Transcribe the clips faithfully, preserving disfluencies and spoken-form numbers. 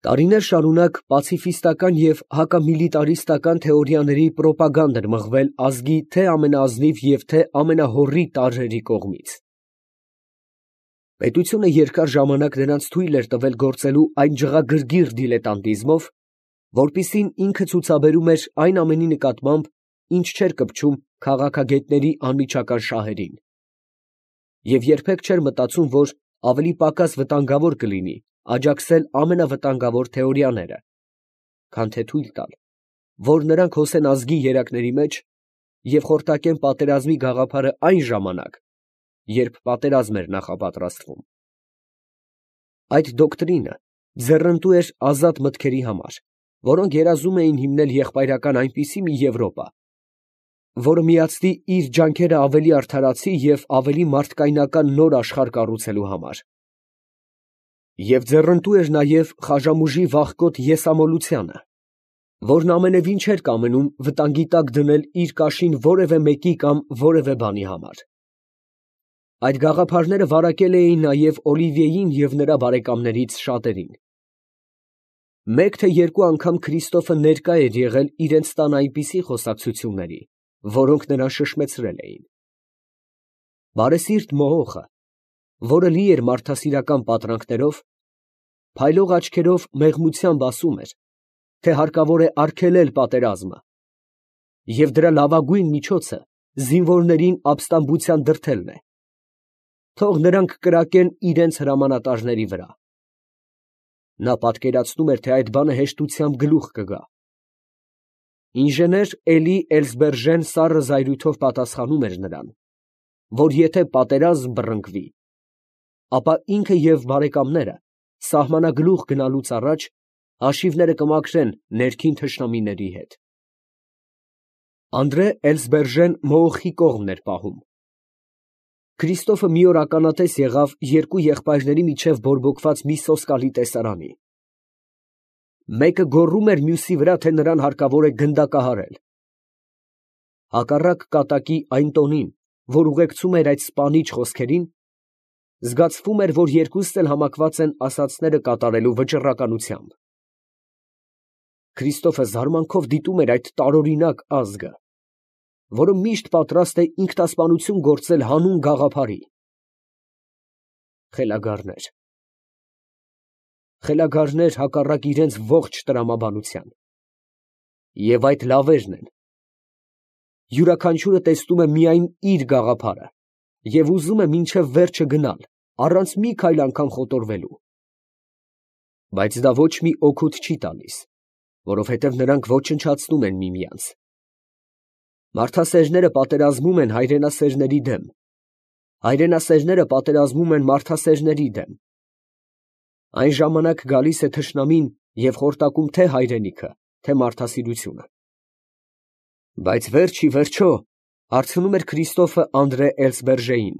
Տարիներ շարունակ պացիֆիստական և հակամիլիտարիստական թեորիաների պրոպագանդ էր մղվել ազգի թե՛ ամենաազնիվ և թե՛ ամենահոռի տարրերի կողմից։ Պետությունը երկար ժամանակ նրանց թույլ էր տվել գործելու այն ջղագրգիռ դիլետանտիզմով, որպիսին ինքը ցուցաբերում էր այն ամենի նկատմամբ, ինչ չէր կպչում քաղաքագետների անմիջական շահերին, և երբեք չէր մտածում, որ ավելի պակաս վտանգավոր կլինի աջակցել ամենավտանգավոր թեորիաները, քան թե թույլ տալ, որ նրանք հոսեն ազգի երակների մեջ և խորտակեն պատերազմի գաղափարը այն ժամանակ, երբ պատերազմ էր նախապատրաստվում։ Այդ դոկտրինը ձեռնտու էր ազատ մտքերի համար, որոնք երազում էին հիմնել եղբայրական այնպիսի մի Եվրոպա, որը միացնի իր ջանքերը ավելի արդարացի և ավելի մարդկայնական նոր աշխարհ կառուցելու համար։ Եվ ձեռնտու էր նաև խաժամուժի վախկոտ եսամոլությանը, որն ամենևին չէր կամենում վտանգի տակ դնել իր կաշին որևէ մեկի կամ որևէ բանի համար։ Այդ գաղափարները վարակել էին նաև Օլիվիեին և նրա բարեկամներից շատերին։ Մեկ թե երկու անգամ Քրիստոֆը ներկա էր եղել իրենց տան այնպիսի խոսակցությունների, որոնք նրան շշմեցրել էին։ Բարեսիրտ մողոխը, որը լի էր մարդասիրական պատրանքներով, փայլող աչքերով մեղմությամբ ասում էր, թե հարկավոր է արգելել պատերազմը, և դրա լավագույն միջոցը զինվորներին ապստամբության դրդելն է, թող նրանք կրակեն իրենց հրամանատարների վրա։ Նա պատկերացնում էր, թե այդ բանը հեշտությամբ գլուխ կգա։ Ինժեներ Էլի Էլզբերժեն սառը զայրույթով պատասխանում էր նրան, որ եթե պատերազմ բռնկվի, ապա ինքը և բարեկամները սահմանագլուխ գնալուց առաջ հաշիվները կմաքրեն ներքին թշնամիների հետ։ Անդրե Էլզբերժեն մողոխի կողմն էր պահում։ Քրիստոֆը մի օր ականատես եղավ երկու եղբայրների միջև բորբոքված մի սոսկալի տեսարանի։ Մեկը գոռում էր մյուսի վրա, թե նրան հարկավոր է գնդակահարել։ Հակառակ կատակի այն տոնին, որ ուղեկցում էր այդ սպանիչ խոսքերին, զգացվում էր, որ երկուսն էլ համակված են ասածները կատարելու վճռականությամբ։ Քրիստոֆը զարմանքով դիտում էր այդ տարօրինակ ազգը, որը միշտ պատրաստ է ինքնասպանություն գործել հանուն գաղափարի։ Խելագարներ… խելագարներ հակառակ իրենց ողջ տրամաբանության։ Եվ այդ լավերն են։ Յուրաքանչյուրը տեսնում է միայն իր գաղափարը և ուզում է մինչև վերջը գնալ, առանց մի քայլ անգամ խոտորվելու։ Բայց դա ոչ մի օգուտ չի տալիս, որովհետև նրանք ոչնչացնում են միմյանց։ Մարդասերները պատերազմում են հայրենասերների դեմ, հայրենասերները պատերազմում են մարդասերների դեմ։ Այն ժամանակ գալիս է թշնամին և խորտակում թե հայրենիքը, թե մարդասիրությունը։ Բայց վերջ ի վերջո, հարցնում էր Քրիստոֆը Անդրե Էլզբերժեին,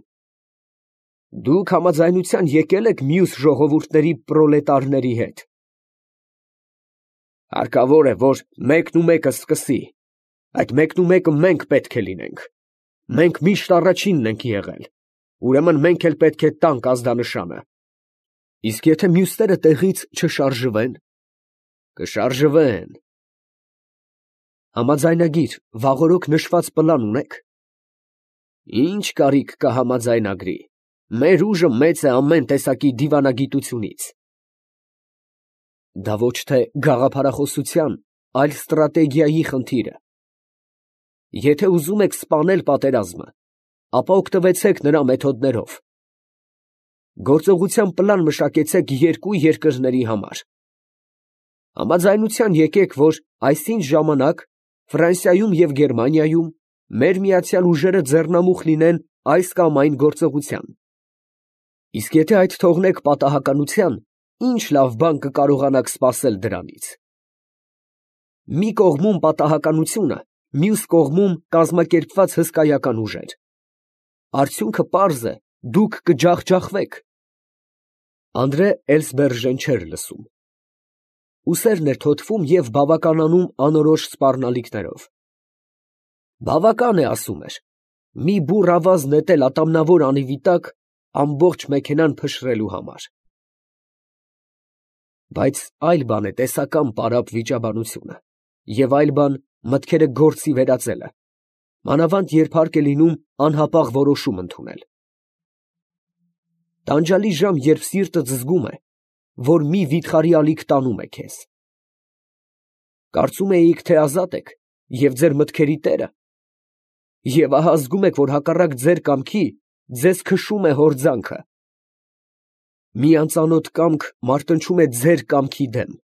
դուք համաձայնության եկե՞լ եք մյուս ժողովուրդների պրոլետարների հետ։ Հարկավոր է, որ մեկն ու մեկը սկսի, այդ մեկն ու մեկը մենք պետք է լինենք։ Մենք միշտ առաջինն ենք եղել, ուրեմն մենք էլ պետք է տանք ազդանշանը։ Իսկ եթե մյուսները տեղից չշարժվեն։ Կշարժվեն։ Համաձայնագիր, վաղօրոք նշված պլան ունե՞ք։ Ինչ կարիք կա համաձայնագրի, մեր ուժը մեծ է ամեն տեսակի դիվանագիտությունից։ Դա ոչ թե գաղափարախոսության, այլ ստրատեգիայի խնդիր է։ Եթե ուզում եք սպանել պատերազմը, ապա օգտվեցեք նրա մեթոդներով։ Գործողության պլան մշակեցեք երկու երկրների համար։ Համաձայնության եկեք, որ այսինչ ժամանակ Ֆրանսիայում և Գերմանիայում մեր միացյալ ուժերը ձեռնամուխ լինեն այս կամ այն գործողության։ Իսկ եթե այդ թողնեք պատահականության, ի՞նչ լավ բան կկարողանաք սպասել դրանից։ Մի կողմում պատահականությունը, մյուս կողմում կազմակերպված հսկայական ուժեր։ Արդյունքը պարզ է, դուք կջախջախվեք։ Անդրե Էլզբերժեն չէր լսում։ Ուսերն էր թոթվում և բավականանում անորոշ սպառնալիքներով։ Բավական է, ասում էր, մի բուռ ավազ նետել ատամնավոր անիվի տակ ամբողջ մեքենան փշրելու համար։ Բայց այլ բան է տեսական պարապ վիճաբանությունը, և այլ բան մտքերը գործի վերածելը, մանավանդ երբ հարկ է լինում անհապաղ որոշում ընդունել։ Տանջալի ժամ, երբ սիրտդ զգում է, որ մի վիթխարի ալիք տանում է քեզ։ Կարծում էիք, թե ազատ եք և ձեր մտքերի տերը, և ահա զգում եք, որ հակառակ ձեր կամքի ձեզ քշում է հորձանքը։ Մի անծանոթ կամք մարտնչում է ձեր կամքի դեմ։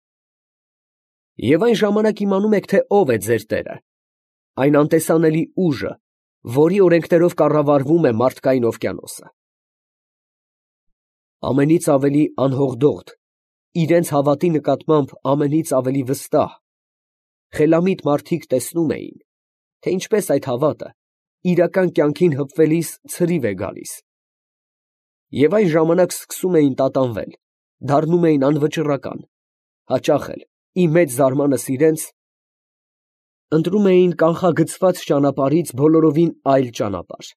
Եվ այն ժամանակ իմանում եք, թե ով է ձեր տերը, այն անտեսանելի ուժը, որի օրենքներով կառավարվում է մարդկային օվկիանոսը։ Ամենից ավելի անհողդողդ, իրենց հավատի նկատմամբ ամենից ավելի վստահ, խելամիտ մարդիկ տեսնում էին, թե ինչպես այդ հավատը իրական կյանքին հպվելիս ցրիվ է գալիս, և այն ժամանակ սկսում էին տատանվել, դառնում էին անվճռական, հաճախ էլ, ի մեծ զարմանս իրենց, ընտրում էին կանխագծված ճանապարհից բոլորովին այլ ճանապարհ։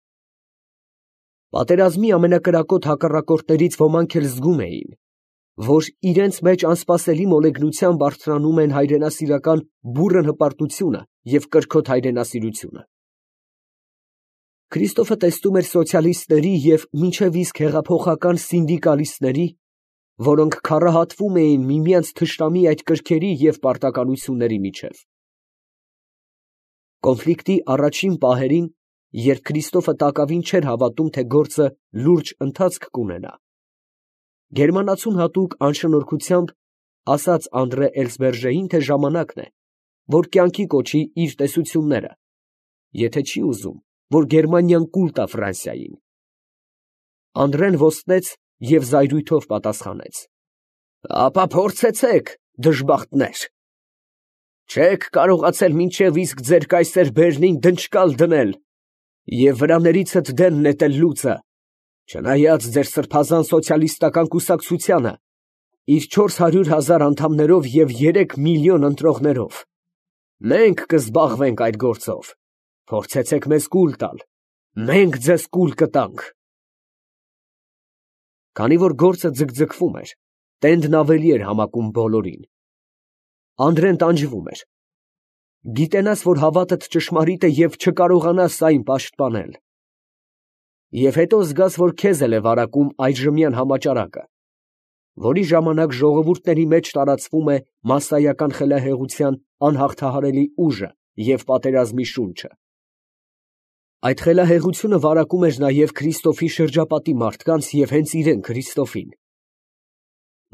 Պատերազմի ամենակրակոտ հակառակորդներից ոմանք էլ զգում էին, որ իրենց մեջ անսպասելի մոլեգնությամբ արթնանում են հայրենասիրական բուռն հպարտությունը և կրքոտ հայրենասիրությունը։ Քրիստոֆը տեսնում էր սոցիալիստների և մինչև իսկ հեղափոխական սինդիկալիստների, որոնք քառահատվում էին միմյանց թշնամի այդ կրքերի և պարտականությունների միջև։ Կոնֆլիկտի առաջին պահերին, երբ Քրիստոֆը տակավին չէր հավատում, թե գործը լուրջ ընթացք կունենա, գերմանացուն հատուկ անշնորհքությամբ ասաց Անդրե Էլսբերժեին, թե ժամանակն է, որ կյանքի կոչի իր տեսությունները, եթե չի ուզում, որ Գերմանիան կուլ տա Ֆրանսիային։ Անդրեն ոստեց և զայրույթով պատասխանեց. «Ապա փորձեցեք, դժբախտներ. չեք կարողացել մինչև իսկ ձեր կայսեր Բերնին դնչկալ դնել և վրաներիցդ դեն նետել լուծը, չնայած ձեր սրբազան սոցիալիստական կուսակցությանը իր չորս հարյուր հազար անդամներով և երեք միլիոն ընտրողներով։ Մենք կզբաղվենք այդ գործով, փորձեցեք մեզ կուլ տալ, մենք ձեզ կուլ կտանք»։ Քանի որ գործը ձգձգվում էր, տենդն ավելի էր համակում բոլորին։ Անդրեն տանջվում էր։ Գիտենաս, որ հավատդ ճշմարիտ է և չկարողանաս այն պաշտպանել։ Եվ հետո զգաս, որ քեզ էլ է վարակում այժմյան համաճարակը, որի ժամանակ ժողովուրդների մեջ տարածվում է մասսայական խելահեղության անհաղթահարելի ուժը և պատերազմի շունչը։ Այդ խելահեղությունը վարակում էր նաև Քրիստոֆի շրջապատի մարդկանց և հենց իրան Քրիստոֆին։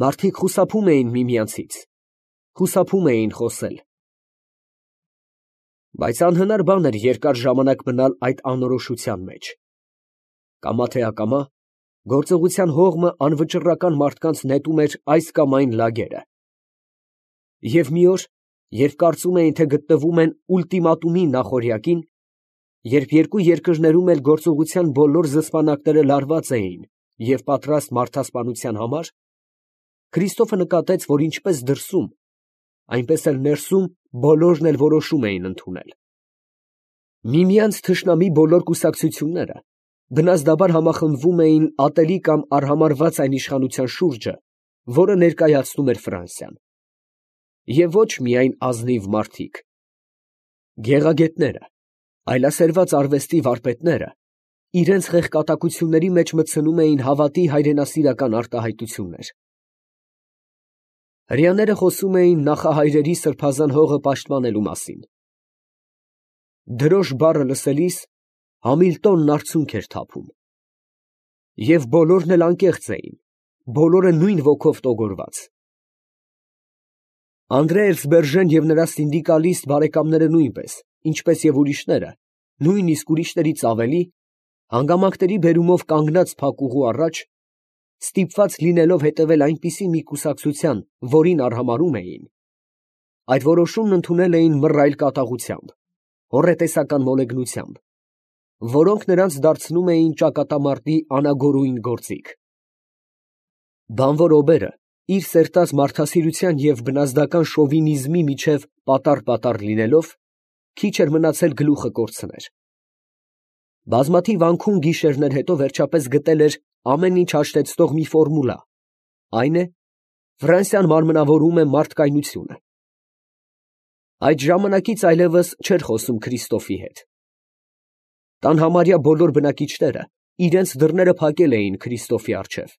Մարդիկ խուսափում էին միմյանցից, խուսափում էին խոսել։ Բայց անհնար բան էր երկար ժամանակ մնալ այդ անորոշության մեջ։ Կամա թե ակամա, գործողության հողմը անվճռական մարդկանց նետում էր այս կամ այն լագերը։ Եվ մի օր, երբ կարծում էին, թե գտնվում են ուլտիմատումի նախօրյակին, երբ երկու երկրներում էլ գործողության բոլոր զսպանակները լարված էին և պատրաստ մարդասպանության համար, Քրիստոֆը նկատեց, որ ինչպես դրսում, այնպես էլ ներսում բոլորն էլ որոշում էին ընդունել։ Միմյանց թշնամի բոլոր կուսակցությունները բնազդաբար համախմբվում էին ատելի կամ արհամարհված այն իշխանության շուրջը, որը ներկայացնում էր Ֆրանսիան։ Եվ ոչ միայն ազնիվ մարդիկ։ Գեղագետները, այլասերված արվեստի վարպետները իրենց խեղկատակությունների մեջ մտցնում էին հավատի հայրենասիրական արտահայտություններ։ Հրեաները խոսում էին նախահայրերի սրբազան հողը պաշտպանելու մասին։ Դրոշ բառը լսելիս Համիլտոնն արցունք էր թափում։ Եվ բոլորն էլ անկեղծ էին, բոլորը նույն ոգով տոգորված։ Անդրե Էլսբերժեն և նրա սինդիկալիստ բարեկամները նույնպես, ինչպես և ուրիշները, նույնիսկ ուրիշներից ավելի, հանգամանքների բերումով կանգնած փակուղու առաջ, ստիպված լինելով հետևել այնպիսի մի կուսակցության, որին արհամարհում էին, այդ որոշումն ընդունել էին մռայլ կատաղությամբ, հոռետեսական մոլեգնությամբ, որոնք նրանց դարձնում էին ճակատամարտի անագորույն գործիք։ Բանվոր օբերը, իր սերտած մարդասիրության և բնազդական շովինիզմի միջև պատառ֊պատառ լինելով, քիչ էր մնացել գլուխը կորցներ։ Բազմաթիվ անքուն գիշերներ հետո վերջապես գտել էր ամեն ինչ հաշտեցնող մի ֆորմուլա, այն է, Ֆրանսիան մարմնավորում է մարդկայնությունը։ Այդ ժամանակից այլևս չէր խոսում Քրիստոֆի հետ։ Տան համարյա բոլոր բնակիչները իրենց դռները փակել էին Քրիստոֆի առջև։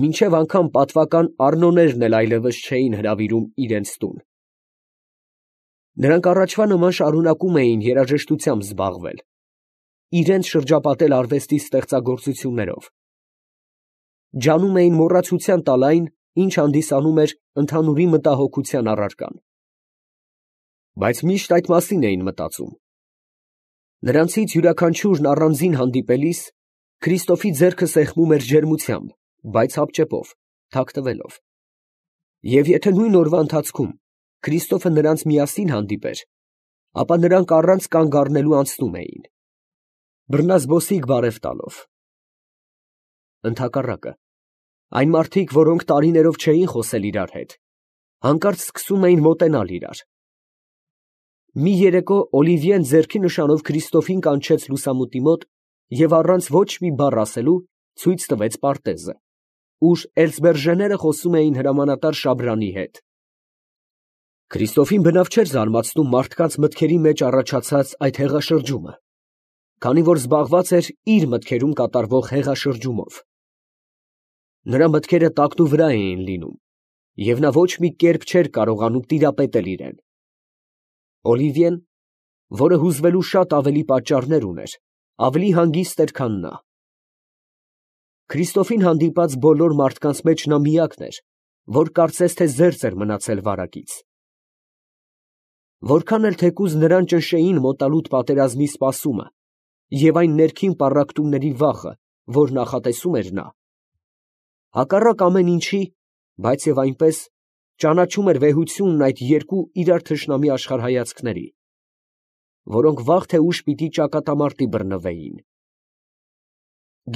Մինչև անգամ պատվական առնոներն էլ այլևս չէին հրավիրում իրենց տուն։ Նրանք առաջվա նման շարունակում էին երաժշտությամբ զբաղվել, իրենց շրջապատել արվեստի ստեղծագործություններով։ Ջանում էին մոռացության տալ այն, ինչ հանդիսանում էր ընդհանուրի մտահոգության առարկան։ Բայց միշտ այդ մասին էին մտածում։ Նրանցից յուրաքանչյուրն առանձին հանդիպելիս Քրիստոֆի ձեռքը սեղմում էր ջերմությամբ, բայց հապճեպով, թաքթվելով։ Եվ եթե նույն օրվա ընթացքում Քրիստոֆը նրանց միասին հանդիպեր, ապա նրանք առանց կանգ առնելու անցնում էին, բռնազբոսիկ բարև տալով։ Ընդհակառակը, այն մարդիկ, որոնք տարիներով չէին խոսել իրար հետ, հանկարծ սկսում էին մոտենալ իրար։ Մի երեկո Օլիվիեն ձեռքի նշանով Քրիստոֆին կանչեց լուսամուտի մոտ և առանց ոչ մի բառ ասելու ցույց տվեց պարտեզը, ուր էլսբերժեները խոսում էին հրամանատար Շաբրանի հետ։ Քրիստոֆին բնավ չէր զարմացնում մարդկանց մտքերի մեջ առաջացած այդ հեղաշրջումը, քանի որ զբաղված էր իր մտքերում կատարվող հեղաշրջումով։ Նրա մտքերը տակնուվրա էին լինում, և նա ոչ մի կերպ չէր կարողանում տիրապետել իրեն։ Օլիվիեն, որը հուզվելու շատ ավելի պատճառներ ուներ, ավելի հանգիստ էր, քան նա։ Քրիստոֆին հանդիպած բոլոր մարդկանց մեջ նա միակն էր, որ կարծես թե զերծ էր մնացել վարակից։ Որքան էլ թեկուզ նրան ճնշեին մոտալուտ պատերազմի սպասումը և այն ներքին պառակտումների վախը, որ նախատեսում էր նա, հակառակ ամեն ինչի, բայց և այնպես, ճանաչում էր վեհությունն այդ երկու իրար թշնամի աշխարհայացքների, որոնք վաղ թե ուշ պիտի ճակատամարտի բռնվեին։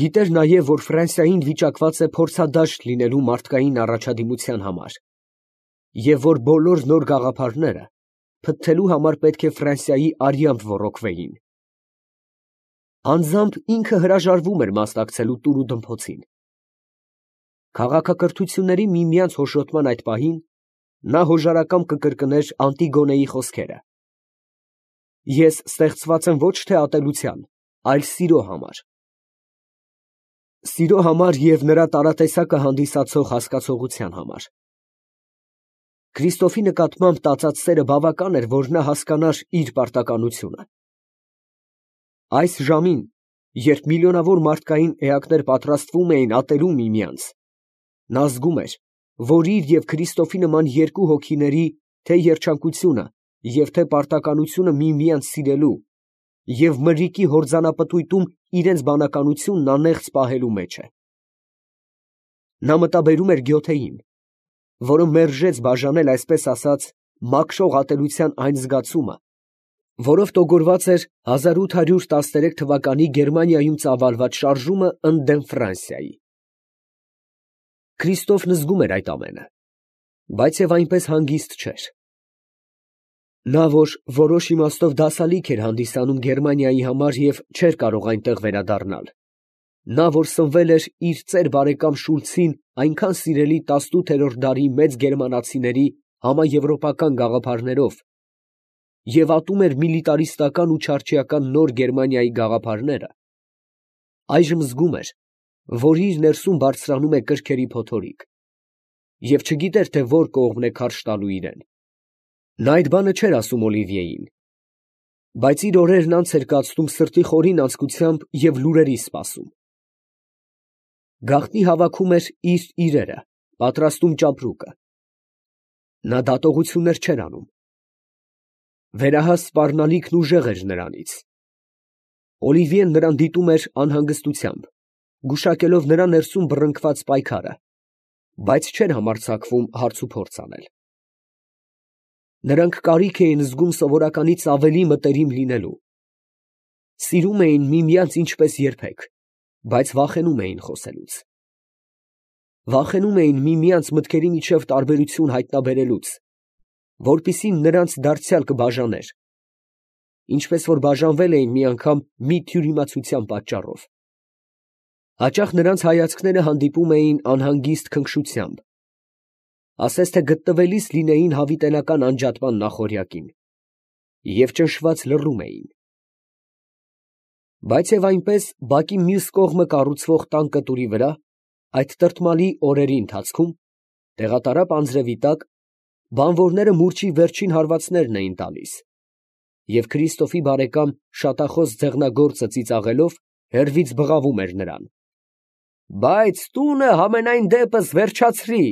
Գիտեր նաև, որ Ֆրանսիային վիճակված է փորձադաշտ լինելու մարդկային առաջադիմության համար, և որ բոլոր նոր գաղափարները փթթելու համար պետք է Ֆրանսիայի արյամբ ոռոգվեին։ Անձամբ ինքը հրաժարվում էր մասնակցելու տուր ու դմփոցին։ Քաղաքակրթությունների միմյանց հոշոտման այդ պահին նա հոժարակամ կկրկներ Անտիգոնեի խոսքերը. «Ես ստեղծված եմ ոչ թե ատելության, այլ սիրո համար»։ Սիրո համար և նրա տարատեսակը հանդիսացող հասկացողության համար։ Քրիստոֆի նկատմամբ տածած սերը բավական էր, որ նա հասկանար իր պարտականությունը։ Այս ժամին, երբ միլիոնավոր մարդկային էակներ պատրաստվում էին ատելու միմյանց, նա զգում էր, որ իր և Քրիստոֆի նման երկու հոգիների թե՛ երջանկությունը և թե՛ պարտականությունը միմյանց սիրելու և մրրիկի հորձանապտույտում իրենց բանականությունն անեղծ պահելու մեջ է։ Նա մտաբերում էր Գյոթեին, որը մերժեց բաժանել այսպես ասած մաքրող ատելության այն զգացումը, որով տոգորված էր հազար ութ հարյուր տասներեք թվականի Գերմանիայում ծավալված շարժումը ընդդեմ Ֆրանսիայի։ Քրիստոֆն զգում էր այդ ամենը, բայց և այնպես հանգիստ չէր։ Նա, որ որոշ իմաստով դասալիք էր հանդիսանում Գերմանիայի համար և չէր կարող այնտեղ վերադառնալ, նա, որ սնվել էր իր ծեր բարեկամ Շուլցին այնքան սիրելի տասնութերորդ դարի մեծ գերմանացիների համաեվրոպական գաղափարներով և ատում էր միլիտարիստական ու չարչիական նոր Գերմանիայի գաղափարները, այժմ զգում էր, որ իր ներսում բարձրանում է կրքերի փոթորիկ և չգիտեր, թե որ կողմն է քարշ տալու իրեն։ Նա այդ բանը չէր ասում Օլիվիեին, բայց իր օրերն անց էր կացնում սրտի խորին անձկությամբ և լուրերի սպասում։ Գաղտնի հավաքում էր իր իրերը, պատրաստում ճապրուկը։ Նա դատողություններ չէր անում։ Վերահաս սպառնալիքն ուժեղ էր նրանից։ Օլիվիեն նրան դիտում էր անհանգստությամբ, գուշակելով նրա ներսում բռնկված պայքարը, բայց չէր համարձակվում հարցուփորձ անել։ Նրանք կարիք էին զգում սովորականից ավելի մտերիմ լինելու։ Սիրում էին միմյանց ինչպես երբեք, բայց վախենում էին խոսելուց։ Վախենում էին միմյանց մտքերի միջև տարբերություն հայտնաբերելուց, որպեսզի նրանց դարձյալ կբաժաներ, ինչպես որ բաժանվել էին մի անգամ մի թյուրիմացության պատճառով։ Հաճախ նրանց հայացքները հանդիպում էին անհանգիստ քնքշությամբ, ասես թե գտնվելիս լինեին հավիտենական անջատման նախօրյակին, և ճնշված լռում էին։ Բայց և այնպես բակի մյուս կողմը կառուցվող տան կտուրի վրա, այդ տրտմալի օրերի ընթացքում, տեղատարապ անձրևի տակ, բանվորները մուրճի վերջին հարվածներն էին տալիս, և Քրիստոֆի բարեկամ շատախոս ձեղնագործը ծիծաղելով հեռվից բղավում էր նրան. ֊ Բայց տունը համենայն դեպս վերջացրի։